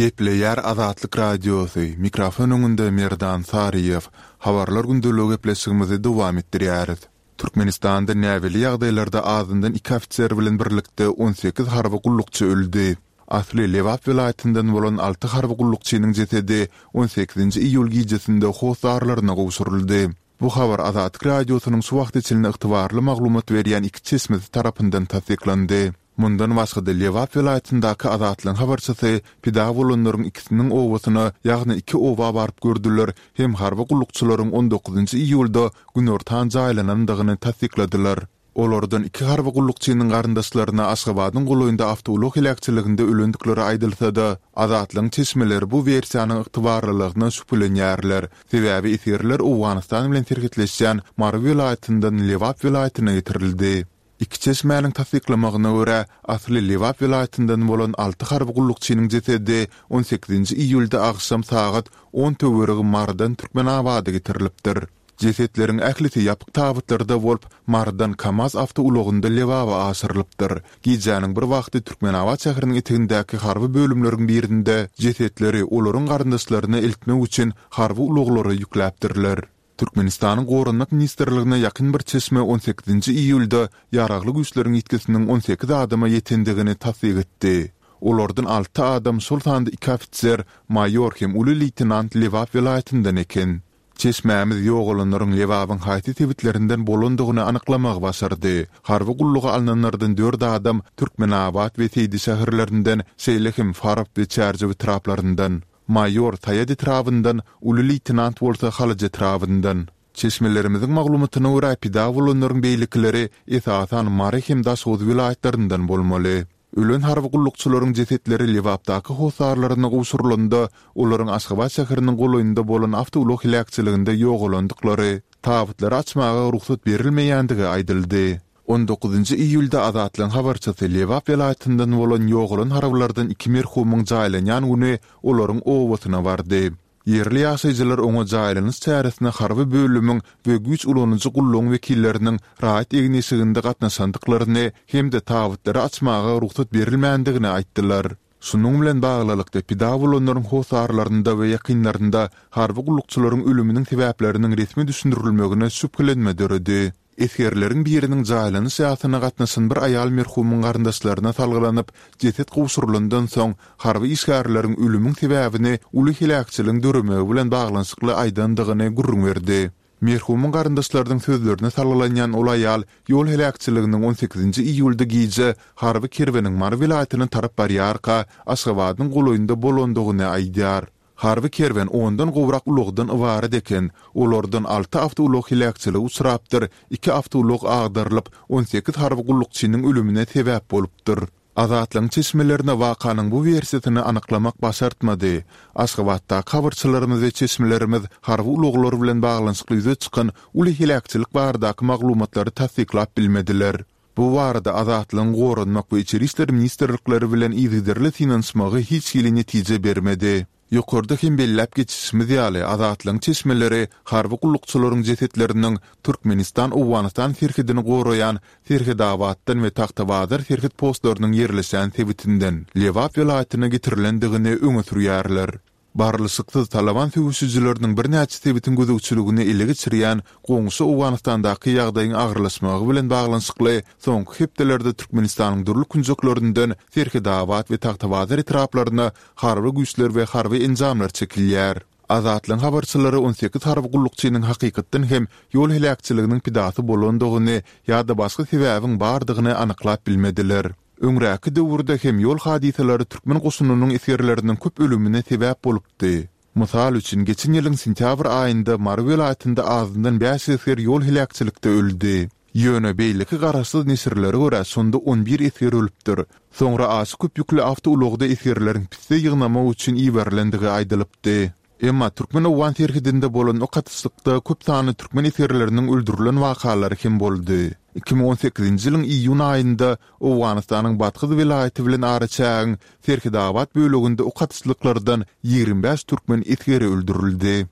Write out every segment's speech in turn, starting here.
Gepleýär Azatlyk Radiosy, mikrofon öňünde Merdan Saryýew. Habarlar gündeligi gepleşigimizi dowam etdirýäris. Türkmenistanda näbelli ýagdaýlarda azyndan iki ofiser bilen birlikde 18 harby gullukçy öldi. Asly Lebap welaýatyndan bolan alty harby gullukçynyň jesedi on sekizinji iýul gijesinde hossarlaryna gowşuryldy. Bu habar Azatlyk Radiosynyň şu wagta çenli ygtybarly maglumat berýän iki çeşmesi tarapyndan tassyklandy. Mundan başga-da, Lebap welaýatyndaky Azatlygyň habarçysy pida bolanlaryň ikisiniň obasyna, ýagny iki oba baryp gördüler hem harby gullukçylaryň on dokuzynjy iýulda günortan jaýlanandygyny tassykladylar. Olardan iki harby gullukçynyň garyndaşlaryna Aşgabadyň golaýynda awtoulag heläkçiliginde ölendikleri aýdylsa-da, Azatlygyň çeşmeleri bu wersiýanyň ygtybarlylygyna şübhelenýärler, sebäbi esgerler Owganystan bilen serhetleşýän Mary welaýatyndan Lebap welaýatyna getirildi. Iki çeşmäniň tassyklamagyna görä, asly Lebap welaýatyndan bolan alty harby gullukçynyň jesedi on sekizinji iýulda agşam sagat on töweregi Marydan Türkmenabada getirilipdir. Jesetleriň ählisi ýapyk tabytlarda bolup, Marydan KAMAZ awtoulagynda Lebaba aşyrylypdyr. Gijäniň bir wagty Türkmenabat şäheriniň etegindäki harby bölümleriň birinde jesetleri olaryň garyndaşlaryna eltmek üçin harby ulaglara ýükläpdirler. Türkmenistanyň Goranmak ministrligine ýakyn bir çeşme on sekizinji iýulda Ýaragly Güýçleriň ýitgisiniň 18 adama ýetendigini tassyk etdi. Olardan alty adam, şol sanda iki ofiser, maýor hem uly leýtenant Lebap welaýatyndan eken. Çeşmämiz ýogalanlaryň Lebabyň haýsy sebitlerinden bolandygyny anyklamagy başardy. Harby gulluga alnanlardan dört adam Türkmenabat we Seýdi şäherlerinden, şeýle hem Farap we Çärjew etraplaryndan. Maýor Saýat etrabyndan, uly leýtenant bolsa Halaç etrabyndan. Çeşmelerimiziň maglumatyna görä, pida bolanlaryň beýlekileri esasan Mary hem Daşoguz welaýatlaryndan bolmaly. Ölen harby gullukçylaryň jesetleri Lebapdaky hossarlaryna gowşurylanda, olaryň Aşgabat şäheriniň golaýynda bolan awtoulag heläkçiliginde ýogalandyklary, tabytlary açmaga rugsat berilmeýändigi aýdyldy. On dokuzynjy iýulda Azatlygyň habarçysy Lebap welaýatyndan bolan ýogalan harbylardan iki merhumyň jaýlanýan güni olaryň obasyna bardy. Ýerli ýaşaýjylar oňa jaýlanyş çäresine harby bölümiň we güýç ulanyjy gullugyň wekilleriniň raýat egin-eşiginde gatnaşandyklaryny hem-de tabytlary açmaga rugsat berilmändigini aýtdylar. Şunuň bilen baglylykda, pida bolanlaryň hossarlarynda we ýakynlarynda harby gullukçylaryň ölüminiň sebäpleriniň resmi düşündirilmegine şübhelenme döredi. Esgerleriň biriniň jaýlanyş ýasyna gatnaşan bir aýal merhumyň garyndaşlaryna salgylanyp, jeset gowşurylandan soň, harby işgärleriň ölümiň sebäbini uly heläkçiligiň döremegi bilen baglanyşykly aýdandygyny gürrüň berdi. Merhumyň garyndaşlarynyň sözlerine salgylanýan ol aýal ýol heläkçiliginiň on sekizinji iýulda gije harby kerweniň Mary welaýatyna tarap barýarka, Aşgabadyň golaýynda bolandygyny aýdýar. Harby kerwen ondan gowrak ulagdan ybarat eken. Olardan alty awtoulag heläkçilige uçrapdyr, iki awtoulag agdarylyp, 18 harby gullukçynyň ölümine sebäp bolupdyr. Azatlygyň çeşmelerine wakanyň bu wersiýasyny anyklamak başartmady. Aşgabatdaky habarçylarymyz we çeşmelerimiz harby ulaglar bilen baglanyşykly ýüze çykan uly heläkçilik baradaky maglumatlary tassyklap bilmediler. Bu barada Azatlygyň Goranmak we Içeri işler ministrlikleri bilen yzygiderli synanyşmagy hiç hili netije bermedi. Ýokarda hem belläp geçişimiz ýaly, Azatlygyň çeşmeleri harby gullukçylaryň jesetleriniň Türkmenistan-Owganystan serhedini goraýan Serhedabatdan we Tagtabazar serhet postlarynyň ýerleşýän sebitinden Lebap welaýatyna getirilendigini öňe sürýärler. Barlyşyksyz Talaban söweşijileriniň birnäçe sebitiň gözegçiligini ele geçirýän goňşy Owganystandaky ýagdaýyň agyrlaşmagy bilen baglanyşykly soňky hepdelerde Türkmenistanyň dürli künjeklerinden Serhedabat we Tagtabazar etraplaryna harby güýçler we harby enjamlar çekilýär. Azatlygyň habarçylary 18 harby gullukçynyň hakykatdan hem ýol heläkçiliginiň pidasy bolandygyny ýa-da başga sebäbiň bardygyny anyklap bilmediler. Öňräki döwürde hem ýol hadysalary türkmen goşunynyň esgerleriniň köp ölümine sebäp bolupdy. Mysal üçin, geçen ýylyň sentýabr aýynda Mary welaýatynda azyndan bäş esger ýol heläkçilikde öldi. Ýöne beýleki garaşsyz neşirlere görä, şonda on bir esger ölüpdir. Soňra aşa köp ýükli awtoulagda esgerleriň pisse ýygnamak üçin iberilendigi aýdylypdy. Emma türkmen-owgan serhedinde bolan ok atyşlykda köp sanly türkmen esgerleriniň öldürilen wakalary hem boldy. 2018-nji ýylyň iýun aýynda Owganystanyň Bathyz welaýaty bilen araçägiň Serhedabat böleginde ok atyşlyklardan 25 türkmen esgeri öldürildi.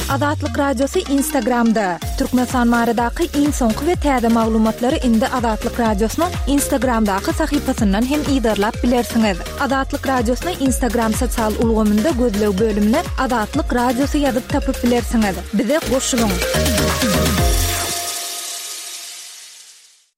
Azatlyk Radiosy Instagramda! Türkmenistan baradaky iň soňky we täze maglumatlary indi Azatlyk Radiosynyň Instagramdaky sahypasyndan hem yzarlap bilersiňiz. Azatlyk Radiosyny Instagram sosial ulgamynda gözleg bölümine Azatlyk Radiosy ýazyp tapyp bilersiňiz. Bize goşulyň!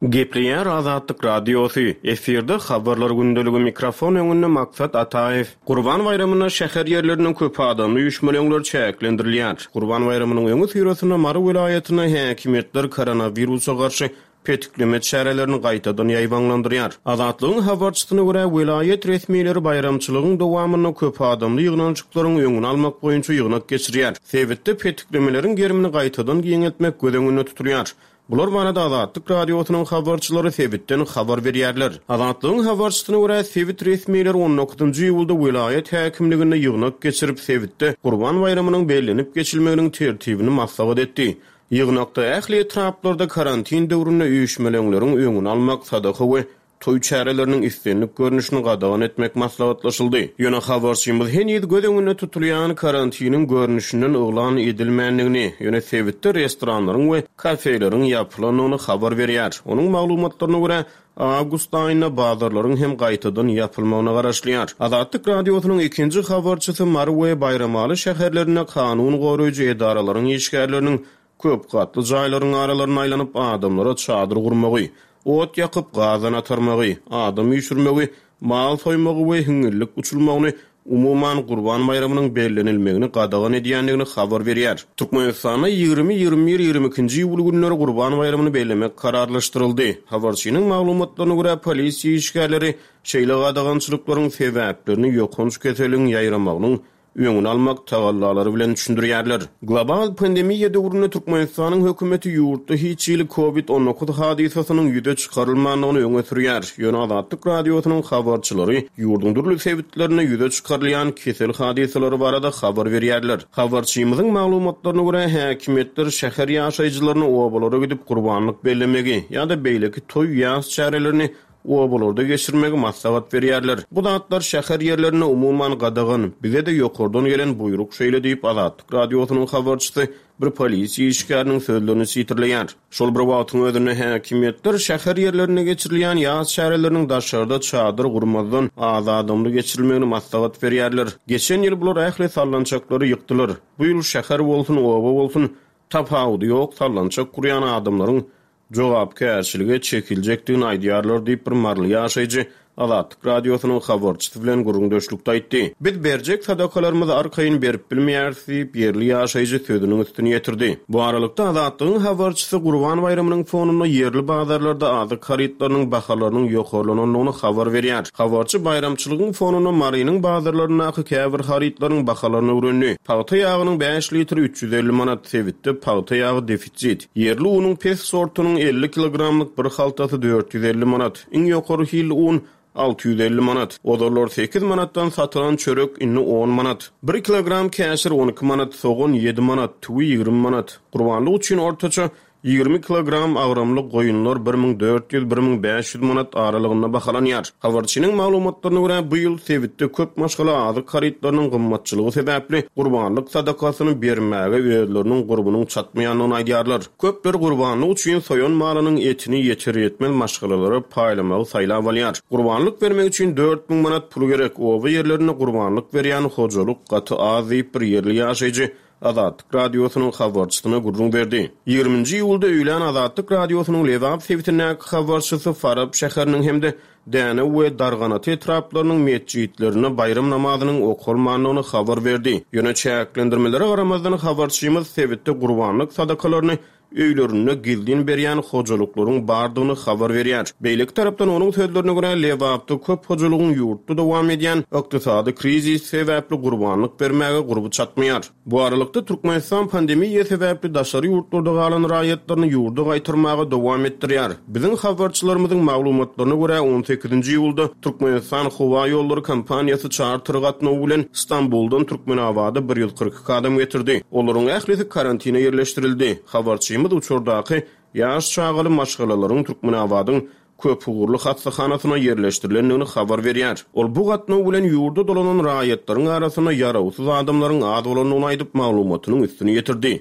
Gepleýär Azatlyk Radiosy, efirde Habarlar gündeligi mikrofon öňünde Maksat Ataýew. Gurban baýramynda şäher ýerleriniň köp adamly üýşmeleňler çäklendirilýär. Gurban baýramynyň öňüsyrasynda Mary welaýatynda häkimiýetler koronawirusa garşy petikleme çärelerini gaýtadan ýaýbaňlandyrýar. Azatlygyň habarçysyna görä, welaýat resmileri baýramçylygyň dowamynda köp adamly ýygnanyşyklaryň öňüni almak boýunça ýygnak geçirýär. Sebitde petiklemeleriň gerimini gaýtadan giňeltmek göz öňünde tutulýar. Bular barada Azatlyk Radiosynyň habarçylary sebitden habar berýärler. Azatlygyň habarçysyna görä, sebit resmileri on dokuzynjy iýulda welaýat häkimliginde ýygnak geçirip, sebitde Gurban baýramynyň bellenip geçilmeginiň tertibini maslahat etdi. Ýygnakda ähli etraplarda karantin döwründe üýşmeleňleriň öňüni almak, sadaka we Toý çäreleriniň islendik görnüşini gadagan etmek maslahatlaşyldy. Ýöne habarçymyz heniz göz öňünde tutulýan karantiniň görnüşinden yglan edilmändigini, ýöne sebitde restoranlaryň we kafeleriň ýapylandygyny habar berýär. Onuň maglumatlaryna görä, awgust aýynda bazarlaryň hem gaýtadan ýapylmagyna garaşylýar. Azatlyk Radiosynyň ikinji habarçysy Mary we Baýramaly şäherlerinde kanun goraýjy edaralaryň işgärleriniň Köp gatly jaýlaryň aralaryna aýlanyp, adamlara çadyr gurmagy, ot ýakyp, gazan atarmagy, adam üýşürmegi, mal soýmagy we hiňňillik uçulmagyny, umuman, Gurban baýramynyň bellenilmegini gadagan edýändigini habar berýär. Türkmenistanda 20, 21, 22-nji iýul günleri Gurban baýramyny bellemek kararlaşdyryldy. Habarçynyň maglumatlaryna görä, polisiýa işgärleri şeýle gadagançylyklaryň sebäplerini ýokanç keseliň ýaýramagynyň öňüni almak tagallalary bilen düşündirýärler. Global pandemiýa döwründe Türkmenistanyň hökümeti ýurtda hiç hili Covid 19 hadysasynyň ýüze çykarylmandygyny öňe sürýär. Ýöne Azatlyk Radiosynyň habarçylary ýurduň dürli sebitlerinde ýüze çykarylýan kesel hadysalary barada habar berýärler. Habarçymyzyň maglumatlaryna görä, häkimiýetler şäher ýaşaýjylaryna obalara gidip gurbanlyk bellemegi ýa-da beýleki toý-ýas çärelerini obalarda geçirmegi maslahat berýärler. Bu zatlar şäher ýerlerinde umuman gadagan, bize-de ýokardan gelen buýruk şeýle diýip, Azatlyk Radiosynyň habarçysy bir polisiýa işgäriniň sözlerini sitirleýär. Şol bir wagtyň özünde häkimiýetler şäher ýerlerinde geçirilýän ýas çäreleriniň daşarda çadyr gurmazdan, az adamly geçirilmegini maslahat berýärler. Geçen ýyl bular ähli sallançaklary ýykdylar. Bu ýyl şäher bolsun, oba bolsun, tapawudy ýok, sallançak gurýan adamlaryň jogapkärçilige çekiljekdigini aýdýarlar diýip, bir maryly ýaşaýjy Azatlyk Radiosynyň habarçysy bilen gürrüňdeşlikde aýtdy. Biz berjek sadakalarymyzy arkaýyn berip bilmeýäris diýip, ýerli ýaşaýjy sözüniň üstüni ýetirdi. Bu aralykda, Azatlygyň habarçysy Gurban baýramynyň fonunda ýerli bazarlarda azyk harytlarynyň bahalarynyň ýokarlanandygyny habar berýär. Habarçy baýramçylygyň fonunda Marynyň bazarlaryndaky käbir harytlaryň bahalaryny öwrendi. Pagta ýagynyň bäş litri 350 manat, sebitde pagta ýagy defisit. Ýerli unuň pes sortunyň 50 kilogramlyk bir haltasy 450 manat, iň ýokary hilli un 650 manat. Ozallar sekiz manatdan satylan çörek indi on manat. Bir kilogram käşir 12 manat, sogan ýedi manat, tüwi 20 manat. Gurbanlyk üçin ortaça 20 kilogram agramly goýunlar 1400, 1500 manat aralygynda bahalanýar. Habarçynyň maglumatlaryna görä, bu ýyl sebitde köp maşgala azyk harytlarynyň gymmatçylygy sebäpli gurbanlyk sadakasyny bermäge özleriniň gurbunyň çatmaýandygyny aýdýarlar. Köpler gurbanlyk üçin soýan malynyň etini ýeter-ýetmez maşgalalara paýlamagy saýlap alýar. Gurbanlyk bermek üçin 4000 manat pul gerek, oba ýerlerinde gurbanlyk berýän hojalyk gaty az diýip, bir ýerli ýaşaýjy Azatlyk Radiosynyň habarçysyna gürrüň berdi. Ýigriminji iýulda öýlän Azatlyk Radiosynyň Lebap sebitindäki habarçysy Farap şäheriniň hem-de Dänew we Darganata etraplarynyň metjitlerinde baýram namazynyň okalmandygyny habar berdi. Ýöne çäklendirmelere garamazdan habarçymyz sebitde gurbanlyk sadakalaryny öýlerinde gizlin berýän hojalyklaryň bardygyny habar berýär. Beýleki tarapdan, onuň sözlerine görä, Lebapda köp hojalygyň ýurtda dowam edýän ykdysady krizis sebäpli gurbanlyk bermäge gurby çatmaýar. Bu aralykda, Türkmenistan pandemiýa sebäpli daşary ýurtlarda galan raýatlaryny ýurda gaýtarmaga dowam etdirýär. Biziň habarçylarymyzyň maglumatlaryna görä, on sekizinji iýulda Türkmenistan howaýollary kompaniýasy çarter gatnawy bilen Stambuldan Türkmenabada bir 142 adam getirdi. Olaryň ählisi karantine ýerleşdirildi. Habarçymyz uçardaky ýaş çagaly maşgalalaryň Türkmenabadyň Köpugurly hassahanasyna ýerleşdirilendigini habar berýär. Ol bu gatnaw bilen ýurda dolanan raýatlaryň arasynda ýarawsyz adamlaryň az bolandygyny aýdyp, maglumatynyň üstüni ýetirdi.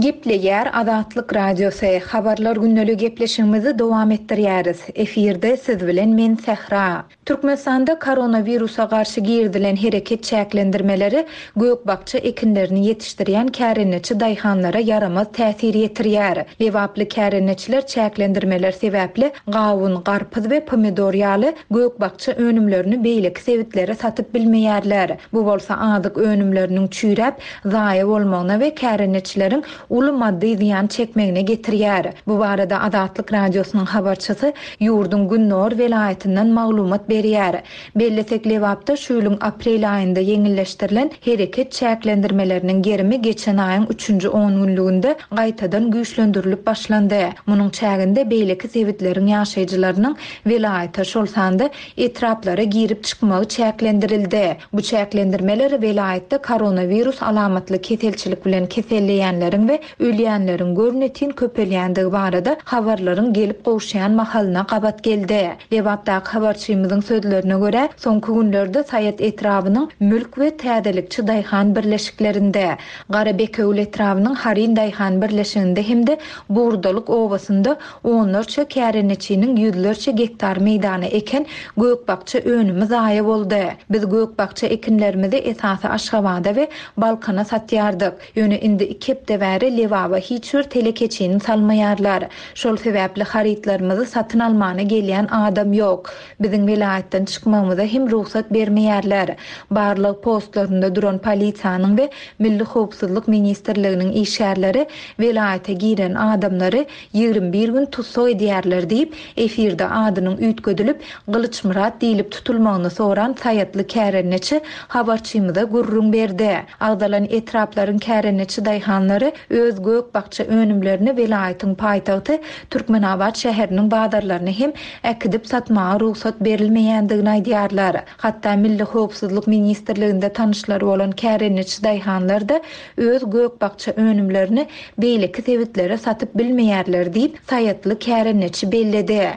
Gepleýär Azatlyk Radiosy, Habarlar gündeligi gepleşigimizi dowam etdirýäris. Efirde siz bilen men Sähra. Türkmenistanda koronawirusa garşy girizilen hereket çäklendirmeleri gök-bakja ekinlerini ýetişdirýän kärendeçi daýhanlara ýaramaz täsir ýetirýär. Lebaply kärendeçiler çäklendirmeler sebäpli gawun, garpyz we pomidor ýaly gök-bakja önümlerini beýleki sebitlere satyp bilmeýärler. Bu bolsa azyk önümleriniň çüýräp, zaýa bolmagyna we kärendeçileriň uly maddy zyýan çekmegine getirýär. Bu barada Azatlyk Radiosynyň habarçysy ýurduň gündogar welaýatyndan maglumat berýär. Bellesek, Lebapda şu ýylyň aprel aýynda ýeňilleşdirilen hereket çäklendirmeleriniň gerimi geçen aýyň üçünji ongünlüginde gaýtadan güýçlendirilip başlandy. Munuň çäginde beýleki sebitleriň ýaşaýjylarynyň welaýata, şol sanda etraplara girip çykmagy çäklendirildi. Bu çäklendirmeler welaýatda koronawirus alamatly keselçilik bilen keselleýänleriň we ölýänleriň görnetin köpelýändigi barada habarlaryň gelip gowuşýan mahalyna gabat geldi. Lebapdaky habarçymyzyň sözlerine görä, soňky günlerde Saýat etrabynyň Mülk we Täzelikçi daýhan birleşiklerinde, Garabekewül etrabynyň Haryn daýhan birleşiginde hem-de Bugurdalyk obasynda Onlarça kärendeçiniň ýüzlerçe gektar meýdana eken gök-bakja önümi zaýa boldy. Biz gök-bakja ekinlerimizi esasy Aşgabada we Balkana satýardyk. Ýöne indi iki hepde bäri Lebaba hiç bir telekeçini salmaýarlar. Şol sebäpli harytlarymyzy satyn almana gelýän adam ýok. Biziň welaýatdan çykmagymyza hem rugsat bermeýärler. Barlag postlarynda duran polisiýanyň we Milli howpsuzlyk ministrliginiň işgärleri welaýata giren adamlary 21 gün tussag edýärler diýip, efirde adynyň üýtgedilip, Gylyçmyrat diýlip tutulmagyny soran saýatly kärendeçi habarçymyza gürrüň berdi. Agzalan etraplaryň kärendeçi daýhanlary öz gök-bakja önümlerini welaýatyň paýtagty Türkmenabat şäheriniň bazarlaryna hem äkidip satmaga rugsat berilmeýändigini aýdýarlar. Hatda Milli howpsuzlyk ministrliginde tanyşlary bolan kärendeçi daýhanlar-da öz gök-bakja önümlerini beýleki sebitlere satyp bilmeýärler diýip, saýatly kärendeçi belledi.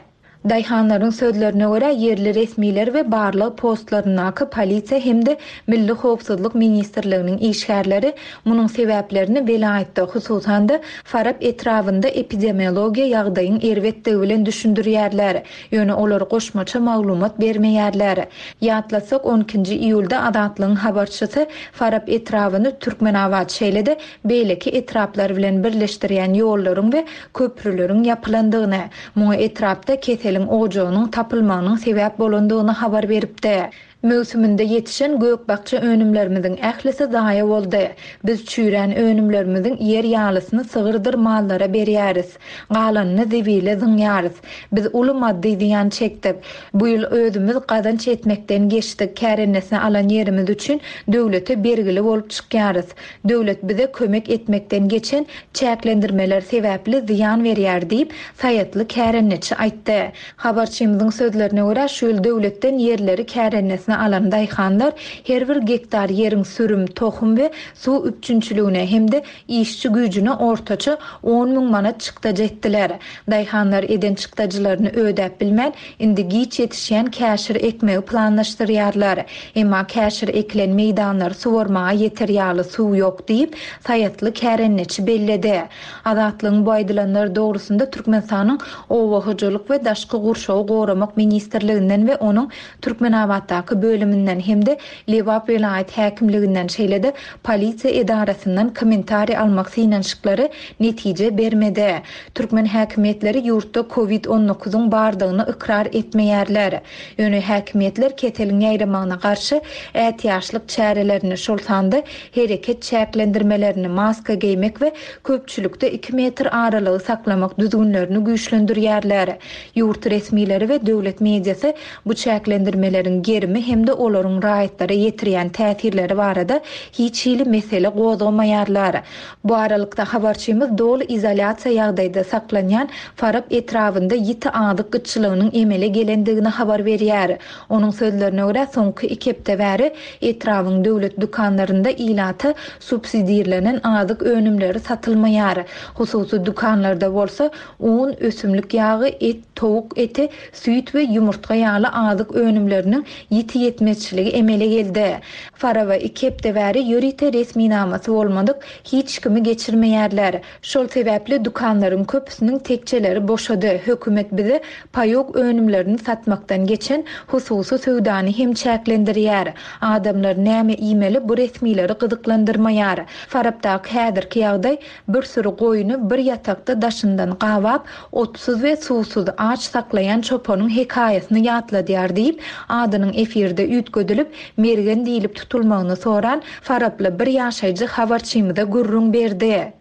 Daýhanlaryň sözlerine görä, ýerli resmiler we barlag postlaryndaky polisiýa hem-de Milli howpsuzlyk ministrliginiň işgärleri munuň sebäplerini welaýatda, hususan-da, Farap etrabynda epidemiologiýa ýagdaýyň erbetdigi bilen düşündirýärler. Ýöne olar goşmaça maglumat bermeýärler. Ýatlatsak, on ikinji iýulda Azatlygyň habarçysy Farap etrabyny Türkmenabat, şeýle-de beýleki etraplar bilen birleşdirýän ýollaryň we köprüleriň ýapylandygyny, muňa etrapda keseliň ojagynyň tapylmagynyň sebäp bolandygyny habar beripdi. Möwsüminde ýetişen gök-bakja önümlerimiziň ählisi zaýa boldy. Biz çüýrän önümlerimiziň iýer ýalysyny sygyrdyr mallara berýäris. Galanyny zibile zyňýarys. Biz uly maddy zyýan çekdik. Bu ýyl özümiz gazanç etmekden geçdik, kärendesinä alan ýerimiz üçin döwlete bergili bolup çykýarys. Döwlet bize kömek etmekden geçen çäklendirmeler sebäpli zyýan berýär diýip, saýatly kärendeçi aýtdy. Habarçymyzyň sözlerine görä, şu ýyl döwletden ýerleri kärendesinä alan daýhanlar her bir gektar ýeriň sürüm, tohum we suw üpjünçiligine hem-de işçi güýjüne ortaça 10 müň manat çykdajy etdiler. Daýhanlar eden çykdajylaryny ödäp bilmän, indi giç ýetişýän käşir ekmegi planlaşdyrýarlar. Emma käşir ekilen meýdanlary suwarmaga ýeter ýaly suw ýok diýip, saýatly kärendeçi belledi. Azatlygyň bu aýdylanlar dogrusynda Türkmenistanyň Oba hojalyk we daşky gurşawy goramak ministrliginden we onuň Türkmenabatdaky bölüminden hem-de Lebap welaýat häkimliginden, şeýle-de polisiýa edarasyndan kommentariý almak synanyşyklary netije bermedi. Türkmen häkimiýetleri ýurtda covid on dokuzyň bardygyny ykrar etmeýärler. Ýöne häkimiýetler keseliň ýaýramagyna garşy ätiýaçlyk çärelerini, şol sanda hereket çäklendirmelerini, maska geýmek we köpçülikde iki metr aralygy saklamak düzgünlerini güýçlendirýärler. Ýurt resmileri we döwlet mediasy bu çäklendirmeleriň gerimi hem. hem-de olaryň raýatlara ýetirýän täsirleri barada hiç hili mesele gozgamaýarlar. Bu aralykda, habarçymyz doly izolýasiýa ýagdaýda saklanýan Farap etrabynda ýiti azyk gytçylygynyň emele gelendigini habar berýär. Onuň sözlerine görä, soňky iki hepde bäri etrabyň döwlet dükanlarynda ilata subsidirlenen azyk önümleri satylmaýar. Hususy dükanlarda bolsa, un, ösümlik ýagy, et, towuk eti, süýt we ýumurtga ýaly azyk önümleriniň ýiti ýetmezçiligi emele geldi. Faraba iki hepde bäri ýörite resminamasy bolmadyk hiç kimi geçirmeýärler. Şol sebäpli dükanlaryň köpüsiniň tekjeleri boşady. Hökümet bize paýok önümlerini satmakdan geçen hususy söwdany hem çäklendirýär. Adamlar näme iýmeli bu resmileri gyzyklandyrmaýar. Farapdaky häzirki ýagdaý Bir süri goýny bir ýatakda daşyndan gabap, otsuz we suwsuz, aç saklaýan çopanyň hekaýasyny ýatladýar diýip, adynyň efirde üýtgedilip, Mergen diýlip tutulmagyny soran faraply bir ýaşaýjy habarçymyza gürrüň berdi.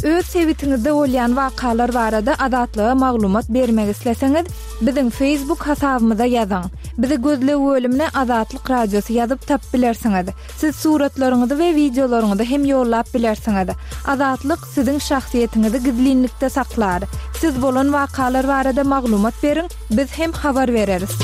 Öz sebitiňizde bolýan wakalar barada Azatlyga maglumat bermek isleseňiz, Biziň Facebook hasabymyza ýazyň. Bizi gözleg bölümine Azatlyk Radiosy ýazyp tapyp bilersiňiz. Siz suratlaryňyzy we wideolaryňyzy hem ýollap bilersiňiz. Azatlyk siziň şahsyýetiňizi gizlinlikde saklar. Siz bolan wakalar barada maglumat beriň, biz hem habar bereris.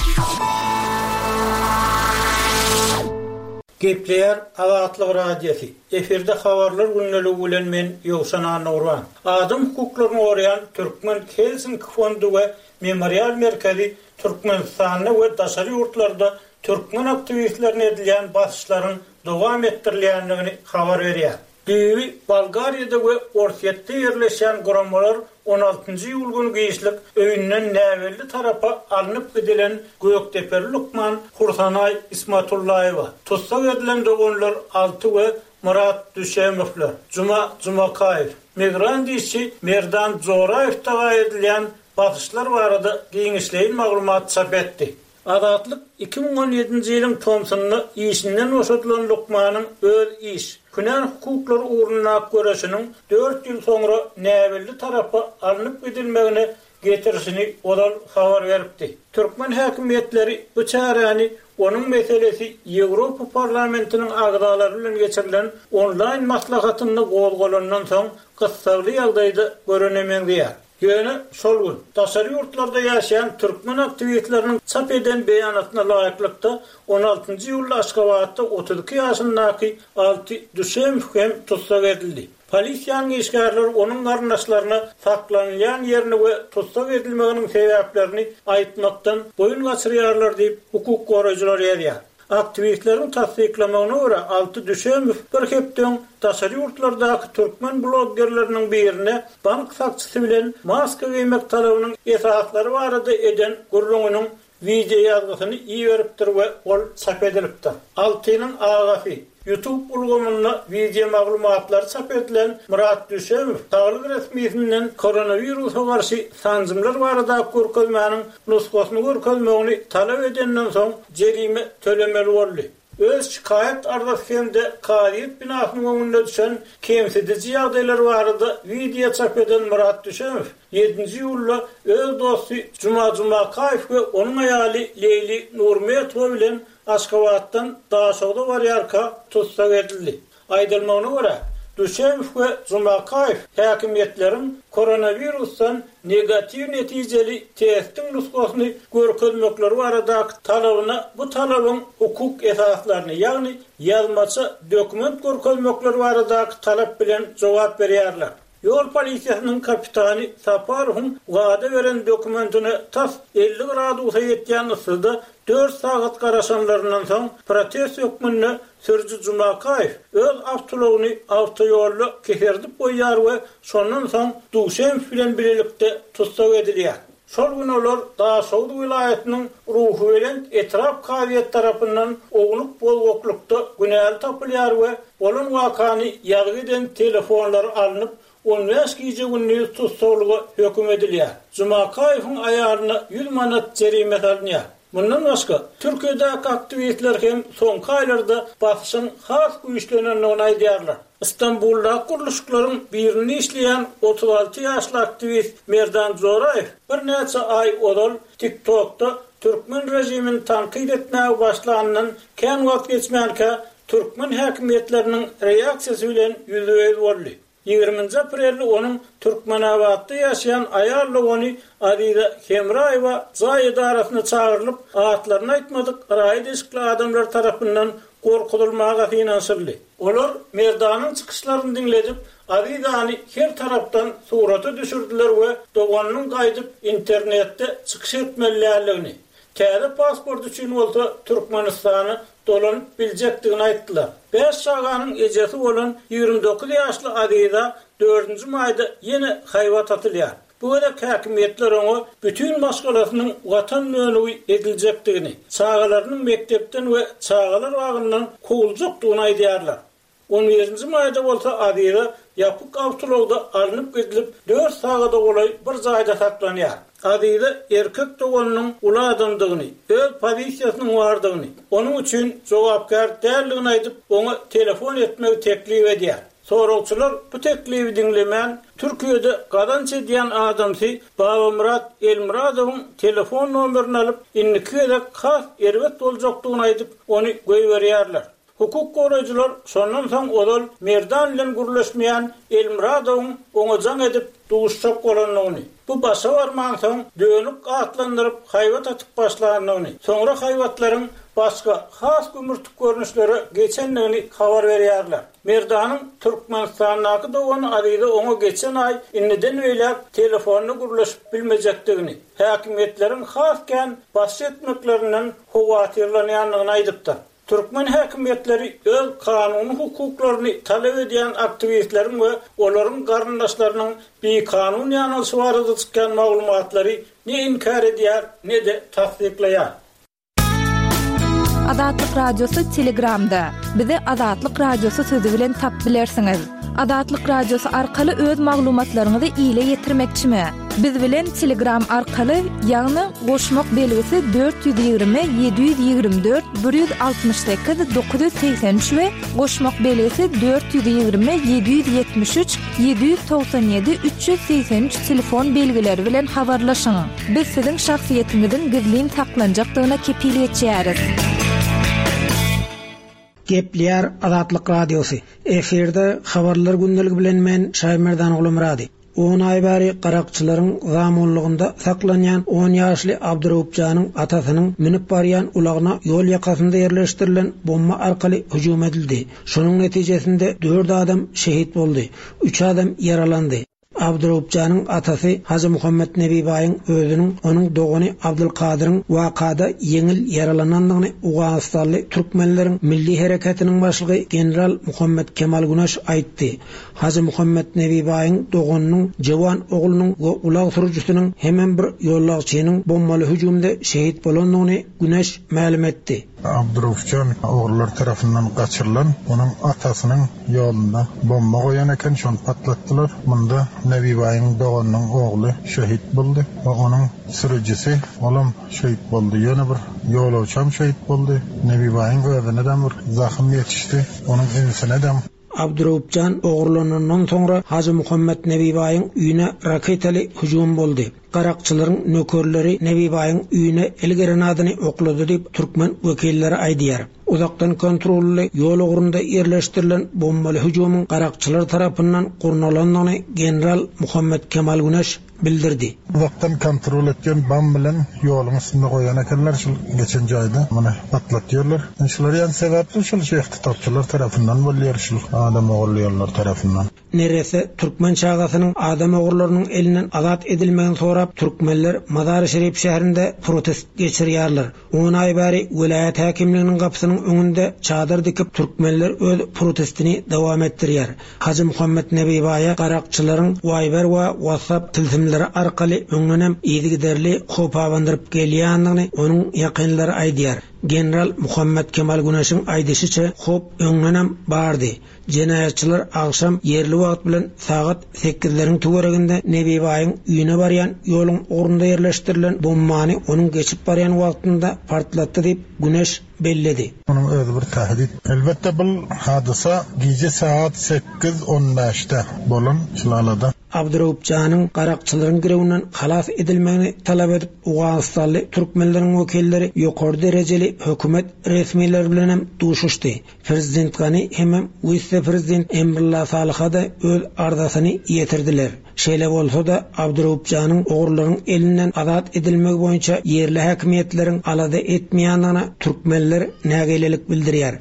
Gepleýär Azatlyk Radiosy, efirde Habarlar gündeligi bilen men Ýowşan Annagurban. Adam hukuklaryny goraýan Türkmen Helsinki fondy we Memorial merkezi Türkmenistanda we daşary ýurtlarda türkmen aktiwistlerine edilýän basyşlaryň dowam etdirilýändigini habar berýär. Düýbi Bolgariýada we Orsýetde ýerleşýän guramalar on altynjy iýul güni giçlik öýünden näbelli tarapa alnyp gidilen gökdepeli lukman Hursanaý Ismatullaýewa, tussag edilen doganlar Alty we Myrat Düşemowlar, Juma Jumakaýew, migrant işçi Merdan Joraýew daga edilýän basyşlar barada giňişleýin maglumat çap etdi. Azatlyk 2017-nji ýylyň tomsunda işinden boşadylan lukmanyň öz iş, hünär hukuklary ugrundaky göreşiniň dört ýyl soňra näbelli tarapa alnyp gidilmegine getirişini ozal habar beripdi. Türkmen häkimiýetleri bu çäräni onuň meselesi Ýewropa Parlamentiniň agzalary bilen geçirilen onlaýn maslahatynda gozgalandan soň gyssagly ýagdaýda görene meňzeýär. Ýöne şol gün, daşary ýurtlarda ýaşaýan türkmen aktiwistleriniň çap eden beýanatyna laýyklykda, on altynjy iýulda Aşgabatda 32 ýaşyndaky Alty Düşemow hem tussag edildi. Polisiýanyň işgärleri onuň garyndaşlaryna saklanylýan ýerini we tussag edilmeginiň sebäplerini aýtmakdan boýun gaçyrýarlar diýip, hukuk goraýjylar ýazýar. Aktiwistleriň tassyklamagyna görä, Alty Düşemow bir hepde öň daşary ýurtlardaky türkmen bloggerleriniň birine bank sakçysy bilen maska geýmek talabynyň esaslary barada eden gürrüňiniň wideoýazgysyny iberipdir we ol çap edilipdir. Altynyň agasy, YouTube ulgamynda wideomaglumatlary çap edilen Myrat Düşemow saglyk resmisinden koronawirusa garşy sanjymlar baradaky görkezmäniň nusgasyny görkezmegini talap edenden soň jerime tölemeli boldy. Öz şikaýat arzasy hem-de kazyýet binasynyň öňünde düşen kemsidiji ýagdaýlar barada wideo çap eden Myrat Düşemow ýedinji iýulda öz dosty Juma Jumakaýew we onuň aýaly Leýli Nurmetowa bilen Aşgabatdan Daşogza barýarka tussag edildi. Aýdylmagyna görä, Düşemow we Jumakaýew häkimiýetleriň koronawirusdan negatiw netijeli testiň nusgasyny görkezmekleri baradaky talabyna bu talabyň hukuk esaslaryny, ýagny ýazmaça dokument görkezmekleri baradaky talap bilen jogap berýärler. Ýol polisiýasynyň kapitany Saparowyň wada beren dokumentine tas 50 gradusa ýetýän yssyda dört sagat garaşanlaryndan soň, protest hökmünde sürüji Jumakaýew öz awtoulagyny awtoýolda keserdip goýýar we şondan soň Duşemow bilen bilelikde tussag edilýär. Şol gün olar Daşoguz welaýatynyň Ruhubelent etrap kazyýeti tarapyndan ownuk bozgaklykda günäli tapylýar we bolan wakany ýazgy eden telefonlary alnyp, on bäş gije-gündiz tussaglyga höküm edilýär. Jumakaýewiň aýalyna ýüz manat jerime salynýar. Mundan başga, Türkiýedäki aktiwistler hem soňky aýlarda basyşyň has güýçlenendigini aýdýarlar. Stambuldaky gurluşyklaryň birinde işleýän 36 ýaşly aktiwist Merdan Joraýew birnäçe aý ozal TikTokda türkmen režimini tankyt etmäge başlanyndan kän wagt geçmänkä türkmen häkimiýetleriniň reaksiýasy bilen ýüzbe-ýüz boldy. Ýigriminji aprelde onuň Türkmenabatda ýaşaýan aýal dogany Aziza Hemraýewa jaý edarasyna çagyrylyp, atlaryny aýtmadyk raýat eşikli adamlar tarapyndan gorkuzylmaga synanyşyldy. Olar Merdanyň çykyşlaryny diňledip, Azizany her tarapdan surata düşürdiler we doganynyň gaýdyp internetde çykyş etmeli däldigini, täze pasport üçin bolsa Türkmenistana dolanyp biljekdigini aýtdylar. Bäş çaganyň ejesi bolan 29 ýaşly Aziza dördünji maýda ýene haýbat atylýar. Bu gezek häkimiýetler oňa bütin maşgalasynyň watan dönügi ediljekdigini, çagalarynyň mekdepden we çagalar bagyndan kowuljakdygyny aýdýarlar. On birinji maýda bolsa Aziza ýapyk awtoulagda alnyp gidilip, dört sagada golaý bir jaýda saklanýar. Aziza erkek doganynyň uly adamdygyny, öz pozisiýasynyň bardygyny, onuň üçin jogapkär däldigini aýdyp, oňa telefon etmegi teklip edýär. Soragçylar bu teklibi diňlemän, Türkiýede gazanç edýän adamsy Babamyrat Elmyradowyň telefon nomerini alyp, indiki gezek has erbet boljakdygyny aýdyp, ony goýberýärler. Hukuk goraýjylar şondan soň ozal Merdan bilen gürleşmeýän Elmyradowyň oňa jaň edip, duşjak bolandygyny, bu başa barmansoň, dönük atlandyryp, haýbat atyp başlandygyny, soňra haýbatlaryň başga, has gümürtik görnüşlere geçendigini habar berýärler. Merdanyň Türkmenistandaky dogany Aziza oňa geçen aý indiden beýläk telefonda gürleşip bilmejekdigini, häkimiýetleriň has kän basyş etmeklerinden howatyrlanýandygyny aýdypdyr. Türkmen häkimiýetleri öz kanuny hukuklaryny talap edýän aktiwistleriň we olaryň garyndaşlarynyň bikanun ýanalyşy barada çykýan maglumatlary ne inkär edýär, ne-de tassyklaýar. Azatlyk Radiosy Telegramda. Bizi Azatlyk Radiosy sözi bilen tap bilersiňiz. Azatlyk Radiosy arkaly öz maglumatlaryňyzy ile ýetirmekçimi? Biz bilen Telegram arkaly, ýagny goşmak belgisi 420 724 168 983 we goşmak belgisi 420 773 797 383 telefon belgileri bilen habarlaşyň. Biz siziň şahsyýetiňiziň gizlin saklanjakdygyna kepil geçýäris. Gepleýär Azatlyk Radiosy. Efirde Habarlar gündeligi bilen men Şaýmerdan Gulumyrady. On aý bäri garakçylaryň zamunlygynda saklanýan on ýaşly Abduraupjanyň atasynyň münüp barýan ulagyna ýol ýakasynda ýerleşdirilen bomba arkaly hüjüm edildi. Şonuň netijesinde dört adam şehit boldy, üç adam ýaralandy. Abduraupjanyň atasy Hajymuhammet Nebibaýyň özüniň, onuň dogany Abdylkadyryň wakada ýeňil ýaralanandygyny owganystanly türkmenleriň milli hereketiniň başlygy general Muhammet Kemal Güneş aýtdy. Hajymuhammet Nebibaýyň doganynyň jewan oglunyň we ulag sürüjisiniň hemem bir ýollagçynyň bombaly hüjümde şehit bolandygyny Güneş mälim etdi. Abduraufjan ogrular tarapyndan gaçyrylan, onuň atasynyň ýolunda bomba goýan eken, şony patlatdylar. Munda Nebibaýyň doganynyň ogly şehit boldy we onuň sürüjisi, olam şehit boldy. Ýöne bir ýolagçam şehit boldy. Nebibaýyň özüne-dem bir zahym ýetişdi, onuň inisine-dem. Abduraupjan ogurlanandan soňra Hajymuhammet Nebibaýyň öýüne raketaly hüjüm boldy. Garakçylaryň nökerleri Nebibaýyň öýüne el grenadyny oklady diýip, türkmen wekilleri aýdýar. Uzakdan kontrolly ýol ugrunda ýerleşdirilen bombaly hüjümiň garakçylar tarapyndan gurnalandygyny general Muhammet Kemal Güneş bildirdi. Uzakdan kontrol etýän bam bilen ýoluň üstünde goýan ekenler şul geçen jaýda muny patlatýarlar. Şular ýaly sebäpli şul şu ihtisapçylar tarapyndan bolýar şul adam ogurlaýanlar tarapyndan. Neresse türkmen çagasynyň adam ogurlarynyň elinden azat edilmegini sorap türkmenler Mazary-Şerif şäherinde protest geçirýärler. On aý bäri welaýat häkimliginiň gapysynyň öňünde çadyr dikip, türkmenler öz protestini dowam etdirýär. Hajymuhammet Nebibaýa garakçylaryň Wiber we WhatsApp tilsimleri arkaly öňdenem yzygiderli howp abandyryp gelýändigini onuň ýakynlary aýdýar. General Muhammet Kemal Güneşiň aýdyşyça, howp öňdenem bardy. Jenaýatçylar agşam ýerli wagt bilen sagat sekizleriň töwereginde Nebibaýyň öýüne barýan ýoluň ugrunda ýerleşdirilen bombany onuň geçip barýan wagtynda partlatdy diýip, Güneş belledi. Munuň özi bir tähdit. Elbetde bul hadysa gije sagat 8 on bäşde bolan Şylalada. Abduraupjanyň garakçylaryň girewinden halas edilmegini talap edip, owganystanly türkmenleriň wekilleri ýokary derejeli hökümet resmileri bilenem duşuşdy. Prezident Gani hemem wise-prezident Emrulla Salyha-da öz arzasyny ýetirdiler. Şeýle bolsa-da, Abduraupjanyň ogrularyň elinden azat edilmegi boýunça ýerli häkimiýetleriň alada etmeýändigine türkmenler nägilelik bildirýär.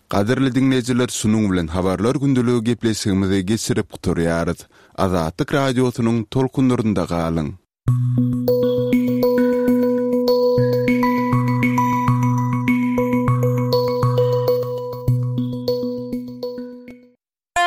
Gadyrly diňleýjiler şunuň bilen Habarlar gündeligi gepleşigimizi geçirip gutarýarys. Azatlyk Radiosynyň tolkunlarynda galyň!